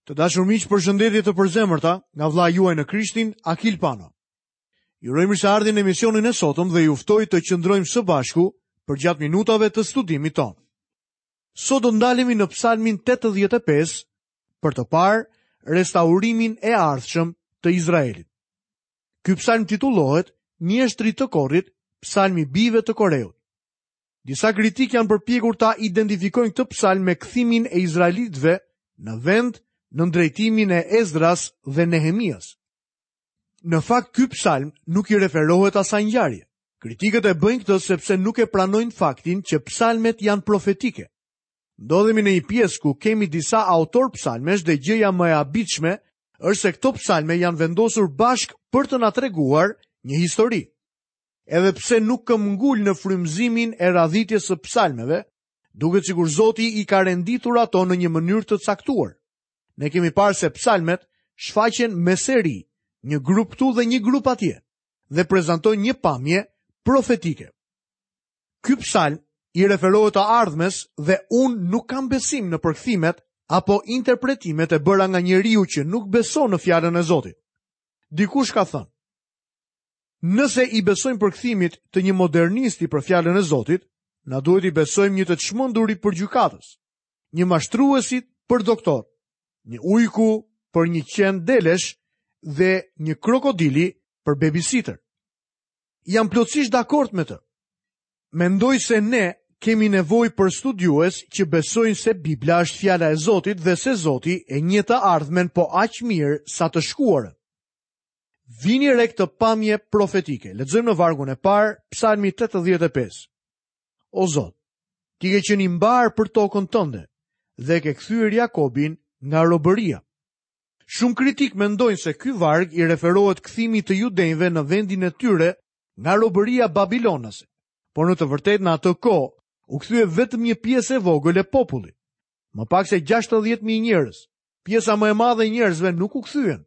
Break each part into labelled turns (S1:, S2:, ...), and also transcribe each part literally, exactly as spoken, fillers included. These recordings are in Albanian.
S1: Të dashur miq, përshëndetje të përzemërta nga vëllai juaj në Krishtin, Akil Pano. Ju uroj mirëseardhjen në emisionin e sotëm dhe ju ftoj të qëndrojmë së bashku përgjatë minutave të studimit tonë. Sot do ndalemi në Psalmin tetëdhjetë e pesë për të parë restaurimin e ardhshëm të Izraelit. Ky psalm titullohet Mjeshtrit të Korit, Psalmi Bijve të Koreut. Disa kritikë janë përpjekur ta identifikojnë këtë psalm me kthimin e izraelitëve në vend nën drejtimin e Ezdras dhe Nehemias. Në fakt, ky psalm nuk i referohet asaj ngjarje. Kritikët e bëjnë këtë sepse nuk e pranojnë faktin që psalmet janë profetike. Ndodhemi në një pjesë ku kemi disa autor psalmesh dhe gjëja më e habitshme është se këto psalme janë vendosur bashkë për të na treguar një histori. Edhe pse nuk këmbgul në frymëzimin e radhitjes së psalmeve, duket sikur Zoti i ka renditur ato në një mënyrë të caktuar. Ne kemi parë se psalmet shfaqen me seri, një grup këtu dhe një grup atje, dhe prezantojnë një pamje profetike. Ky psalm i referohet të ardhmes dhe unë nuk kam besim në përkthimet apo interpretimet e bëra nga njeriu që nuk beson në fjalën e Zotit. Dikush ka thënë, nëse i besojmë përkthimit të një modernisti për fjalën e Zotit, na duhet i besojmë një të çmenduri për gjykatës, një mashtruesi për doktor, një ujku për një qen delesh dhe një krokodili për babysitter. Jam plotësisht dakord me të. Mendoj se ne kemi nevojë për studiues që besojnë se Bibla është fjala e Zotit dhe se Zoti e njeh të ardhmen po aq mirë sa të shkuarën. Vini re këtë pamje profetike. Lexojmë në vargun e parë, Psalmi tetëdhjetë e pesë. O Zot, ti ke qenë i mbar për tokën tënde dhe ke kthyer Jakobin nga robëria. Shumë kritik mendojnë se ky varg i referohet kthimit të judenjve në vendin e tyre nga robëria babilonase, por në të vërtetë në atë kohë u kthye vetëm një pjesë e vogël e popullit. Më pak se gjashtëdhjetë mijë njerëz. Pjesa më e madhe e njerëzve nuk u kthyen.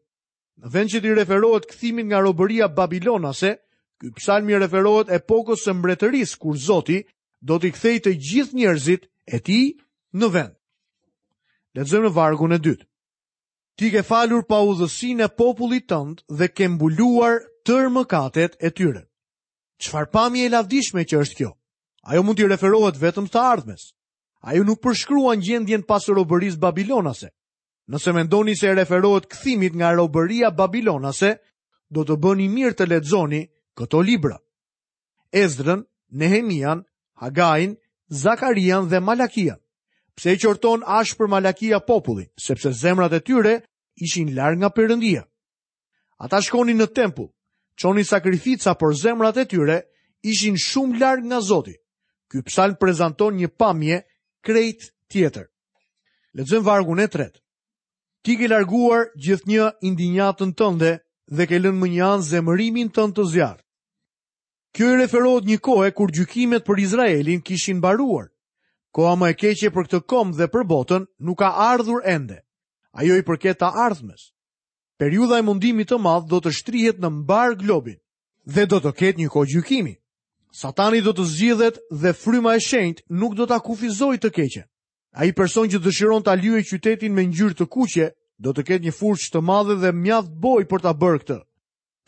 S1: Në vend që t'i referohet kthimit nga robëria babilonase, ky psalm i referohet epokës së mbretërisë kur Zoti do t'i kthejë të gjithë njerëzit e tij në vend. Lexojmë në vargun e dytë. Ti ke falur paudhësinë e popullit tënd dhe ke mbuluar tërë mëkatet e tyre. Çfarë pamje e lavdishme që është kjo? Ajo mund t'i referohet vetëm të ardhmes. Ajo nuk përshkruan gjendjen pas robërisë babilonase. Nëse mendoni se referohet kthimit nga robëria babilonase, do të bëni mirë të lexoni këto libra. Ezdrën, Nehemian, Hagain, Zakarian dhe Malakian. Pse e qorton ashpër Malakia popullin? Sepse zemrat e tyre ishin larg nga Perëndia. Ata shkonin në tempull, çonin sakrifica, por zemrat e tyre ishin shumë larg nga Zoti. Ky psalm prezanton një pamje krejt tjetër. Lexojmë vargun e tretë. Ti ke larguar gjithnjë indinjatën tënde dhe ke lënë më një anë zemërimin tënd të zjarrt. Kjo i referohet një kohe kur gjykimet për Izraelin kishin mbaruar. Koha më e keqe për këtë komb dhe për botën nuk ka ardhur ende. Ajo i përket të ardhmes. Periudha e mundimit të madh do të shtrihet në mbar globin dhe do të ketë një kohë gjykimi. Satani do të zgjidhet dhe fryma e shenjtë nuk do ta kufizojë të keqen. Ai person që dëshiron ta lyejë qytetin me ngjyrë të kuqe, do të ketë një furçë të madhe dhe mjaft bojë për ta bërë këtë.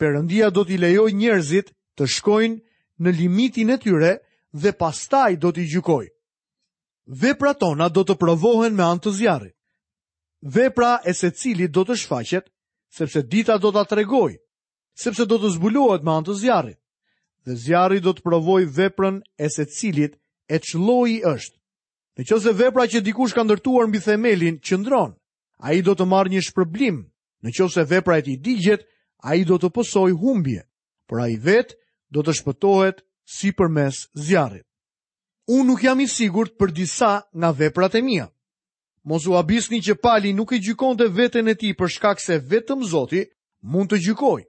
S1: Perëndia do t'i lejojë njerëzit të shkojnë në limitin e tyre dhe pastaj do t'i gjykojë. Veprat tona do të provohen me anë të zjarrit. Vepra e secilit do të shfaqet, sepse dita do ta tregojë, sepse do të zbulohet me anë të zjarrit. Dhe zjarri do të provojë veprën e secilit e ç'lloji është. Në qoftë se vepra që dikush ka ndërtuar mbi themelin qëndron, ai do të marrë një shpërblim. Në qoftë se vepra e tij digjet, ai do të pësojë humbje, por ai vetë do të shpëtohet si përmes zjarrit. Unë nuk jam i sigurt për disa nga veprat e mia. Mos u habisni që Pali nuk e gjykonte veten e tij për shkak se vetëm Zoti mund të gjykojë.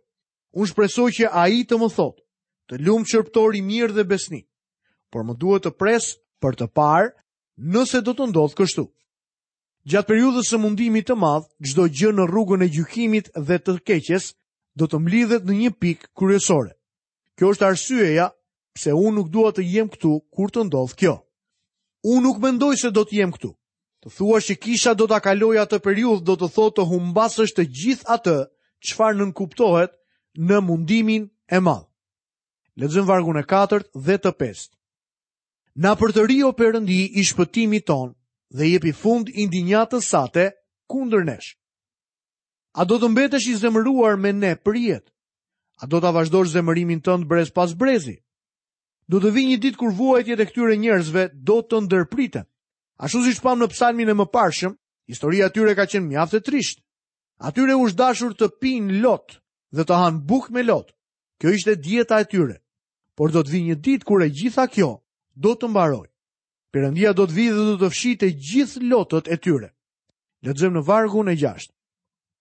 S1: Unë shpresoj që ai të më thotë, të lumt shërbëtor i mirë dhe besnik, por më duhet të pres për të parë nëse do të ndodhë kështu. Gjatë periudhës së mundimit të madh, çdo gjë në rrugën e gjykimit dhe të keqes do të mblidhet në një pikë kryesore. Kjo është arsyeja pse unë nuk dua të jem këtu kur të ndodhë kjo. Unë nuk mendoj se do të jem këtu. Të thuash që kisha do ta kalojë atë periudhë do të thotë të humbasësh të gjithë atë çfarë nënkuptohet në mundimin e madh. Lexojmë vargun e katërt dhe të pestë. Na përtëri o Perëndi i shpëtimit ton dhe jepi fund indinjatës sate kundër nesh. A do të mbetesh i zemëruar me ne për jetë? A do ta vazhdosh zemërimin tënd brez pas brezi? Do të vijë një ditë kur vuajtjet e këtyre njerëzve do të ndërpriten. Ashtu siç pam në psalmin e mëparshëm, historia e tyre ka qenë mjaft e trishtë. Atyre u është dashur të pinë lot dhe të hanë bukë me lot. Kjo ishte dieta e tyre. Por do të vijë një ditë kur e gjitha kjo do të mbarojë. Perëndia do të vijë dhe do të fshijë të gjithë lotët e tyre. Lexojmë në vargun e gjashtë.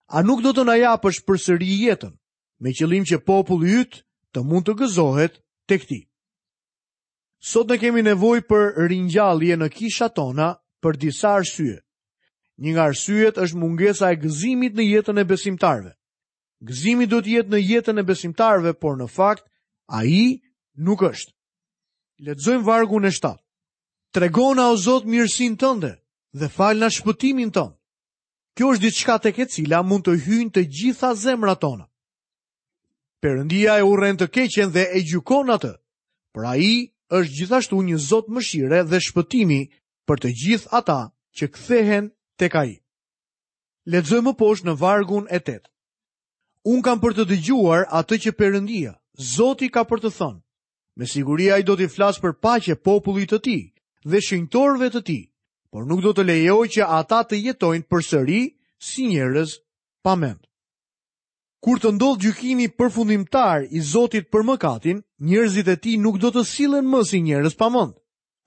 S1: A nuk do të na japësh përsëri jetën, me qëllim që populli yt të mund të gëzohet tek ti? Sot ne kemi nevojë për ringjallje në kishat tona për disa arsye. Një nga arsyet është mungesa e gëzimit në jetën e besimtarëve. Gëzimi duhet të jetë në jetën e besimtarëve, por në fakt ai nuk është. Lexojmë vargun e shtatë. Tregona o Zot mirësinë tënde dhe falna shpëtimin tënd. Kjo është diçka tek e cila mund të hyjnë të gjitha zemrat tona. Perëndia e urren të keqen dhe e gjykon atë, por ai është gjithashtu një Zot mëshire dhe shpëtimi për të gjithë ata që kthehen tek ai. Lexojmë më poshtë në vargun e tetë. Unë kam për të dëgjuar atë që Perëndia, Zoti ka për të thënë. Me siguri ai do t'i flasë për paqe popullit të tij dhe shenjtorëve të tij, por nuk do të lejojë që ata të jetojnë përsëri si njerëz pa mend. Kur të ndodhë gjykimi përfundimtar i Zotit për mëkatin, njerëzit e tij nuk do të sillen më si njerëz pa mend.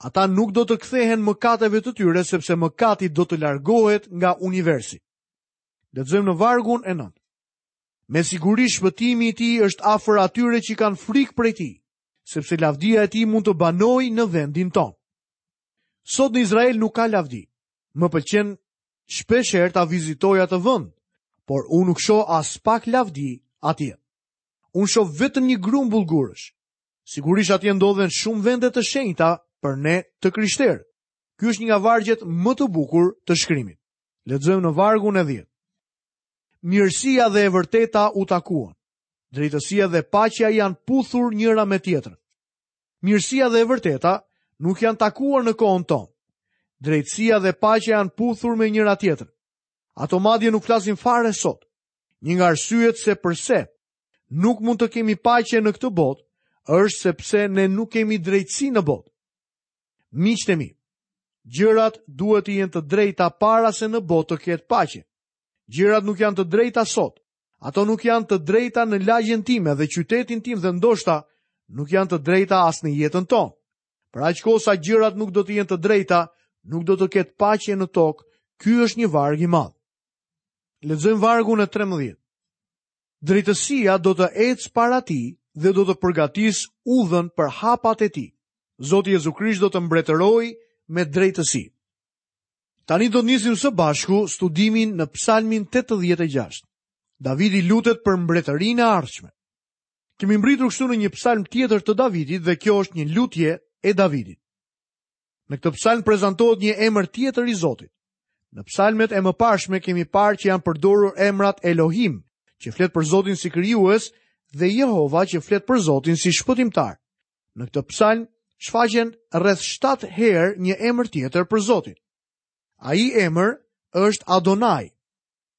S1: Ata nuk do të kthehen mëkateve të tyre sepse mëkati do të largohet nga universi. Lexojmë në vargun e nëntë. Me siguri shpëtimi i tij është afër atyre që kanë frikë prej tij, sepse lavdia e tij mund të banojë në vendin tonë. Sot në Izrael nuk ka lavdi. Më pëlqen shpesh herë ta vizitoj atë vend, por unë nuk shoh as pak lavdi atje. Unë shoh vetëm një grumbull gurësh. Sigurisht atje ndodhen shumë vende të shenjta për ne të krishterë. Ky është një nga vargjet më të bukur të shkrimit. Lexojmë në vargun e dhjetë. Mirësia dhe e vërteta u takuan. Drejtësia dhe paqja janë puthur njëra me tjetrën. Mirësia dhe e vërteta nuk janë takuar në kohën tonë. Drejtësia dhe paqja janë puthur me njëra tjetrën. Ato madje nuk flasin fare sot. Një nga arsyet se përse nuk mund të kemi paqe në këtë botë është sepse ne nuk kemi drejtësi në botë. Miqtë e mi, gjërat duhet të jenë të drejta para se në botë të ketë paqe. Gjërat nuk janë të drejta sot. Ato nuk janë të drejta në lagjen time dhe qytetin tim dhe ndoshta nuk janë të drejta as në jetën tonë. Për aq kohë sa gjërat nuk do të jenë të drejta, nuk do të ketë paqe në tokë. Ky është një varg i madh. Lexojmë vargun e trembëdhjetë. Drejtësia do të ecë para tij dhe do të përgatisë udhën për hapat e tij. Zoti Jezu Krisht do të mbretërojë me drejtësi. Tani do të nisim së bashku studimin në Psalmin tetëdhjetë e gjashtë. Davidi lutet për mbretërinë e ardhshme. Kemi mbritur kështu në një psalm tjetër të Davidit dhe kjo është një lutje e Davidit. Në këtë psalm prezantohet një emër tjetër i Zotit. Në psalmet e mëparshme kemi parë që janë përdorur emrat Elohim, që flet për Zotin si krijues, dhe Jehova që flet për Zotin si shpëtimtar. Në këtë psalm shfaqen rreth shtatë herë një emër tjetër për Zotin. Ai emër është Adonai,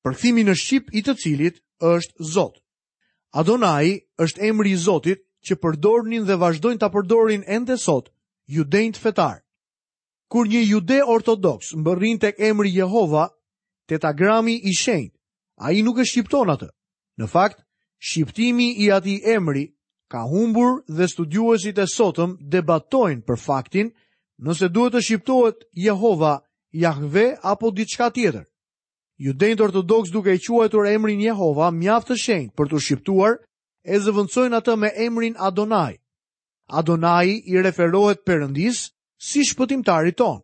S1: përkthimi në shqip i të cilit është Zot. Adonai është emri i Zotit që përdornin dhe vazhdojnë ta përdorin ende sot judenjtë fetar. Kur një jude ortodoks mbërrin tek emri Jehova, tetagrami i shenjtë, ai nuk e shqipton atë. Në fakt, shqiptimi i atij emri ka humbur dhe studiuesit e sotëm debatojnë për faktin nëse duhet të shqiptohet Jehova, Jahve apo diçka tjetër. Judenjtë ortodoks duke e quajtur emrin Jehova mjaft të shenjtë për t'u shqiptuar, e zëvendësojnë atë me emrin Adonai. Adonai i referohet Perëndisë si shpëtimtarit ton,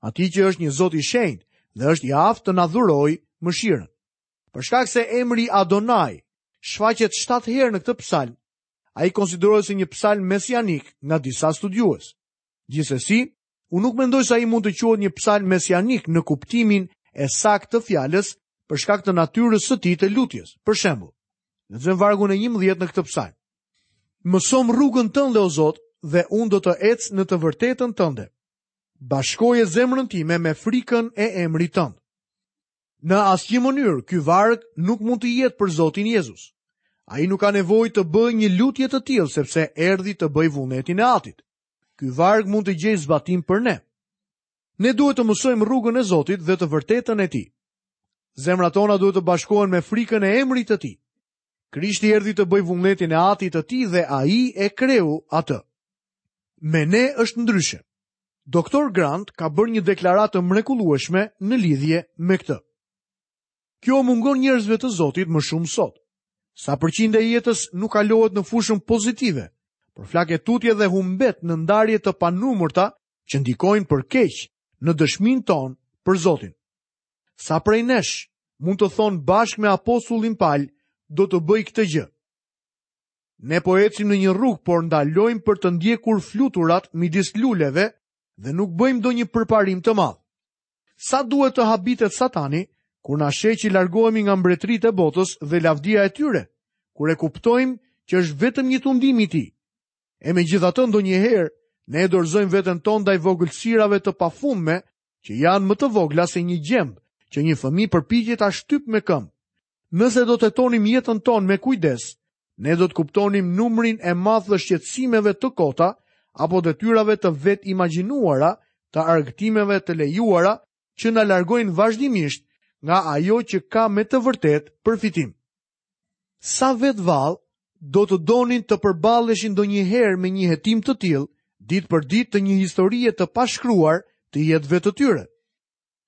S1: atij që është një Zot i shenjtë dhe është i aftë të na dhurojë mëshirën. Për shkak se emri Adonai shfaqet shtatë herë në këtë psalm, ai konsiderohet si një psalm mesianik nga disa studiues. Gjithsesi, Unë nuk mendoj se ai mund të quhet një psalm mesianik në kuptimin e saktë të fjalës për shkak të natyrës së tij të lutjes. Për shembull, lexojmë vargun e njëmbëdhjetë në këtë psalm. Mësom rrugën tënde, o Zot, dhe unë do të ec në të vërtetën tënde. Bashkoje zemrën time me frikën e emrit tënd. Në asnjë mënyrë ky varg nuk mund të jetë për Zotin Jezus. Ai nuk ka nevojë të bëjë një lutje të tillë sepse erdhi të bëjë vullnetin e Atit. Ky varg mund të gjejë zbatim për ne. Ne duhet të mësojmë rrugën e Zotit dhe të vërtetën e tij. Zemrat tona duhet të bashkohen me frikën e emrit të tij. Krishti erdhi të bëjë vullnetin e Atit të tij dhe ai e kreu atë. Me ne është ndryshe. Doktor Grant ka bërë një deklaratë të mrekullueshme në lidhje me këtë. Kjo mungon njerëzve të Zotit më shumë sot. Sa përqind e jetës nuk kalohet në fushën pozitive, por flake tutje dhe humbet në ndarje të panumërta që ndikojnë për keq në dëshminë tonë për Zotin. Sa prej nesh mund të thonë bashkë me apostullin Pal, do të bëj këtë gjë. Ne po ecim në një rrugë, por ndalojmë për të ndjekur fluturat midis luleve dhe nuk bëjmë ndonjë përparim të madh. Sa duhet të habitet Satani kur na sheh që largohemi nga mbretëritë e botës dhe lavdia e tyre, kur e kuptojmë që është vetëm një tundim i tij. E megjithatë ndonjëherë ne e dorëzojmë veten tonë ndaj vogëlsirave të pafundme që janë më të vogla se një gjemb që një fëmijë përpiqet ta shtyp me këmbë. Nëse do të hetonim jetën tonë me kujdes, ne do të kuptonim numrin e madh të shqetësimeve të kota apo detyrave të vetë imagjinuara, të argëtimeve të lejuara që na largojnë vazhdimisht nga ajo që ka me të vërtet përfitim. Sa vetë vallë do të donin të përballeshin ndonjëherë me një hetim të tillë, ditë për ditë të një historie të pashkruar të jetëve të tyre.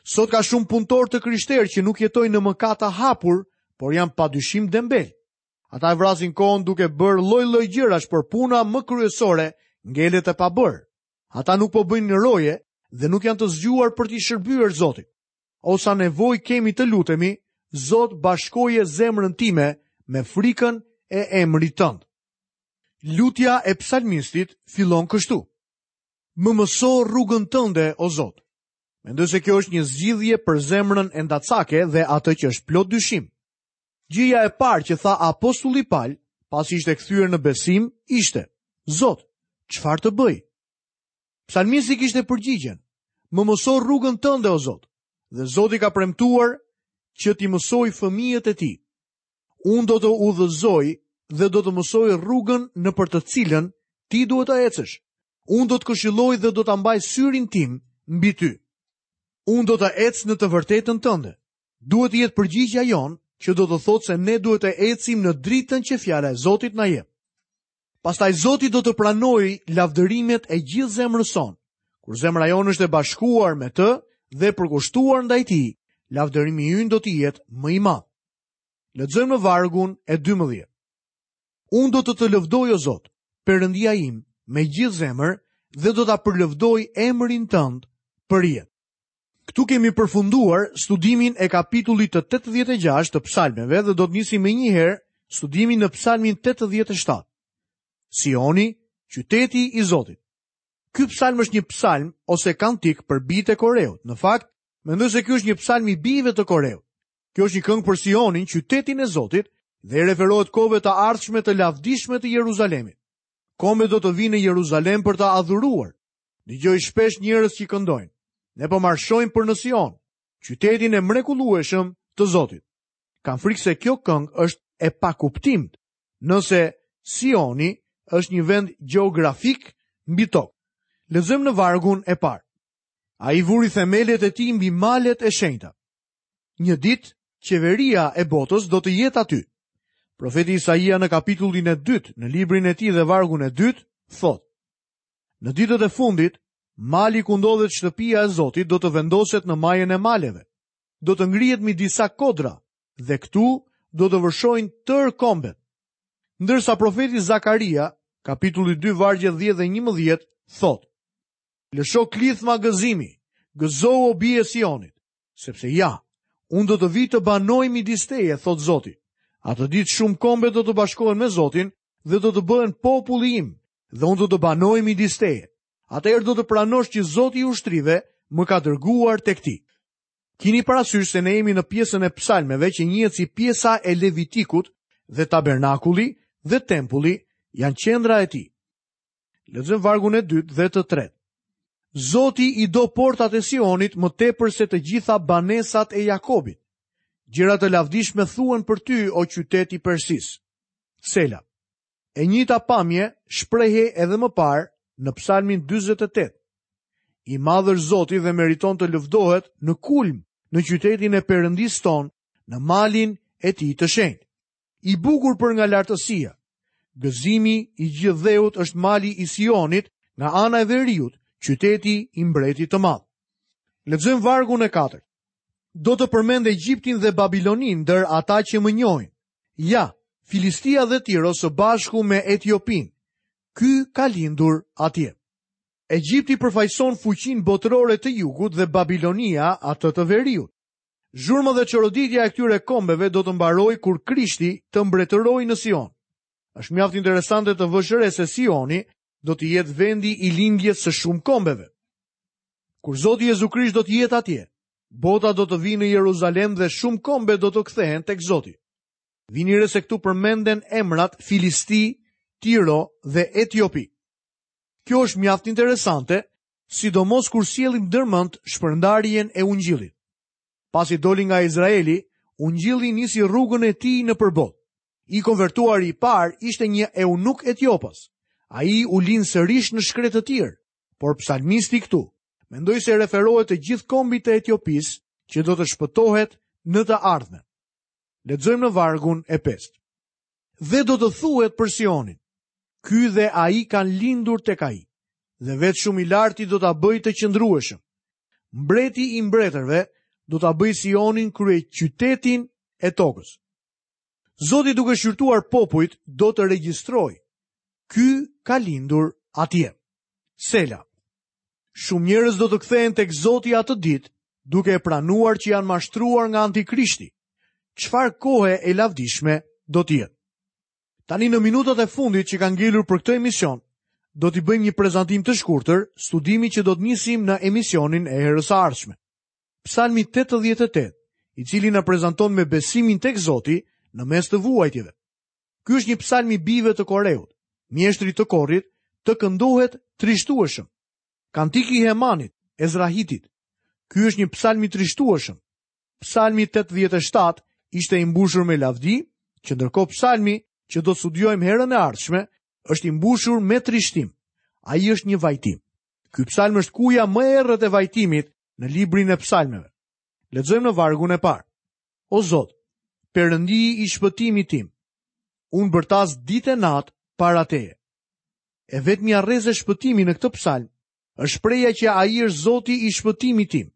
S1: Sot ka shumë punëtorë të krishterë që nuk jetojnë në mëkat të hapur, por janë padyshim dembel. Ata e vrasin kohën duke bërë lloj-lloj gjërash, por puna më kryesore ngelet e pabërë. Ata nuk po bëjnë roje dhe nuk janë të zgjuar për t'i shërbyer Zotit. O sa nevojë kemi të lutemi, Zot, bashkoje zemrën time me frikën e emrit tënd. Lutja e psalmistit fillon kështu. Më mëso rrugën tënde, o Zot. Mendoj se kjo është një zgjidhje për zemrën e ndacake dhe atë që është plot dyshim. Gjëja e parë që tha apostulli Pal, pasi ishte kthyer në besim, ishte: Zot, çfarë të bëj? Psalmisti kishte përgjigjen: Më mëso rrugën tënde, o Zot. Dhe Zoti ka premtuar që t'i mësoj fëmijët e tij. Unë do të udhëzoj dhe do të mësoj rrugën në për të cilën ti duhet të ecësh. Unë do të këshilloj dhe do ta mbaj syrin tim mbi ty. Unë do të ec në të vërtetën tënde. Duhet të jetë përgjigjja jonë, që do të thotë se ne duhet të ecim në dritën që fjala e Zotit na jep. Pastaj Zoti do të pranojë lavdërimet e gjithë zemrës sonë. Kur zemra jonë është e bashkuar me të dhe përkushtuar ndaj tij, lavdërimi ynë do të jetë më i madh. Lexojmë në vargun e dymbëdhjetë. Unë do të të lëvdoj, o Zot, Perëndia im, me gjithë zemër dhe do ta përlëvdoj emrin tënd për jetë. Këtu kemi përfunduar studimin e kapitullit të tetëdhjetë e gjashtë të psalmeve dhe do të nisim më njëherë studimin në psalmin tetëdhjetë e shtatë. Sioni, qyteti i Zotit. Ky psalm është një psalm ose kantik për bijtë e Koreut. Në fakt, mendoj se ky është një psalm i bijve të Koreut. Kjo është një këngë për Sionin, qytetin e Zotit, dhe i referohet kohëve të ardhshme të lavdishme të Jeruzalemit. Kombet do të vinë në Jeruzalem për ta adhuruar. Dëgjoj shpesh njerëz që këndojnë: Ne po marshojmë për në Sion, qytetin e mrekullueshëm të Zotit. Kam frikë se kjo këngë është e pakuptimtë, nëse Sioni është një vend gjeografik mbi tokë. Lexojmë në vargun e parë. Ai vuri themelet e tij mbi malet e shenjta. Një ditë, qeveria e botës do të jetë aty. Profeti Isaia në kapitullin e dytë, në librin e tij dhe vargun e dytë, thotë: Në ditët e fundit, mali ku ndodhet shtëpia e Zotit do të vendoset në majën e maleve. Do të ngrihet mbi disa kodra dhe këtu do të vërshojnë tërë kombet. Ndërsa profeti Zakaria, kapitulli dy, vargje dhjetë dhe njëmbëdhjetë, thotë: Lësho klithma gëzimi, gëzohu o bie Sionit, sepse ja, unë do të vi të banoj midis teje, thotë Zoti. Atë ditë shumë kombe do të bashkohen me Zotin dhe do të bëhen populli im, dhe unë do të banoj midis teje. atëherë do të pranosh që Zoti i ushtrive më ka dërguar tek ti. Kini parasysh se ne jemi në pjesën e psalmeve që njihet si pjesa e Levitikut dhe tabernakulli dhe tempulli janë qendra e tij. Lexojmë vargun e dytë dhe të tretë. Zoti i do portat e Sionit më tepër se të gjitha banesat e Jakobit. Gjëra të lavdishme thuhen për ty, o qytet i Persisë. Sela. E njëjta pamje shprehej edhe më parë në Psalmin dyzet e tetë. I madh është Zoti dhe meriton të lëvdohet në kulm, në qytetin e Perëndisë tonë, në malin e tij të shenjtë. I bukur për nga lartësia. Gëzimi i gjithë dheut është mali i Sionit nga ana e veriut, qyteti i mbretit të madh. Lexojmë vargun e katërt. Do të përmend Egjiptin dhe Babilonin ndër ata që më njohin. Ja, Filistia dhe Tiro së bashku me Etiopinë. Ky ka lindur atje. Egjipti përfaqëson fuqinë botërore të jugut dhe Babilonia atë të veriut. Zhurma dhe çoroditja e këtyre kombeve do të mbarojë kur Krishti të mbretërojë në Sion. Është mjaft interesante të vësh re se Sioni do të jetë vendi i lindjes së shumë kombeve. Kur Zoti Jezu Krisht do të jetë atje, bota do të vijë në Jeruzalem dhe shumë kombe do të kthehen tek Zoti. Vini re se këtu përmenden emrat Filisti, Tiro dhe Etiopi. Kjo është mjaft interesante, sidomos kur sjellim ndërmend shpërndarjen e ungjillit. Pasi doli nga Izraeli, ungjilli nisi rrugën e tij nëpër botë. I konvertuari i parë ishte një eunuk etiopas. Ai u lind sërish në shkretëtirë, por psalmisti këtu mendoj se referohet të gjithë kombit të Etiopisë që do të shpëtohet në të ardhmen. Lexojmë në vargun e pestë. Dhe do të thuhet për Sionin, ky dhe ai kanë lindur tek ai, dhe vetë shumë i larti do ta bëjë të qëndrueshëm. Mbreti i mbretërve do ta bëjë Sionin kryeqytetin e tokës. Zoti duke shqyrtuar popujt do të regjistrojë. Ky ka lindur atje. Sela. Shumë njerëz do të kthehen tek Zoti atë ditë, duke e pranuar që janë mashtruar nga antikrishti. Çfarë kohe e lavdishme do të jetë. Tani në minutat e fundit që kanë ngelur për këtë emision, do t'i bëjmë një prezantim të shkurtër, studimi që do të nisim në emisionin e herës së ardhshme. Psalmi tetëdhjetë e tetë, i cili na prezanton me besimin tek Zoti në mes të vuajtjeve. Ky është një psalm i bijve të Koreut, mjeshtrit të korit, të këndohet trishtueshëm. Kantiki i Hemanit, Ezrahitit. Ky është një psalm i trishtueshëm. Psalmi tetëdhjetë e shtatë ishte i mbushur me lavdi, që ndërkohë psalmi që do të studiojmë herën e ardhshme është i mbushur me trishtim. Ai është një vajtim. Ky psalm është kuja më e errët e vajtimit në librin e psalmeve. Lexojmë në vargun e parë. O Zot, Perëndi i shpëtimit tim, unë bërtas ditë e natë para teje. E vetmja rreze shpëtimi në këtë psalm është shprehja që ai është Zoti i shpëtimit tim.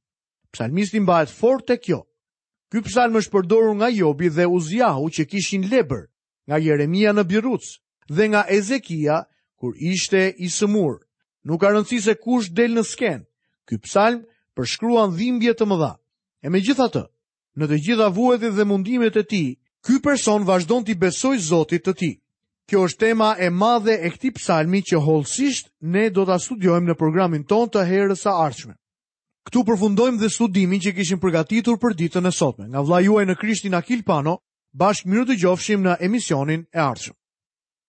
S1: Psalmisti mbahet fort te kjo. Ky psalm është përdorur nga Jobi dhe Uziahu që kishin lebër, nga Jeremia në Biruc dhe nga Ezekia kur ishte i sëmur. Nuk ka rëndësi se kush del në skenë. Ky psalm përshkruan dhimbje të mëdha. E megjithatë, në të gjitha vuajtjet dhe mundimet e tij, ky person vazhdon t'i besojë Zotit të tij. Kjo është tema e madhe e këtij psalmi që hollësisht ne do ta studiojmë në programin tonë të herës së ardhshme. Këtu përfundojmë dhe studimin që kishim përgatitur për ditën e sotme. Nga vëllai juaj në Krishtin Akil Pano, bashkë mirë dëgjofshim në emisionin e ardhshëm.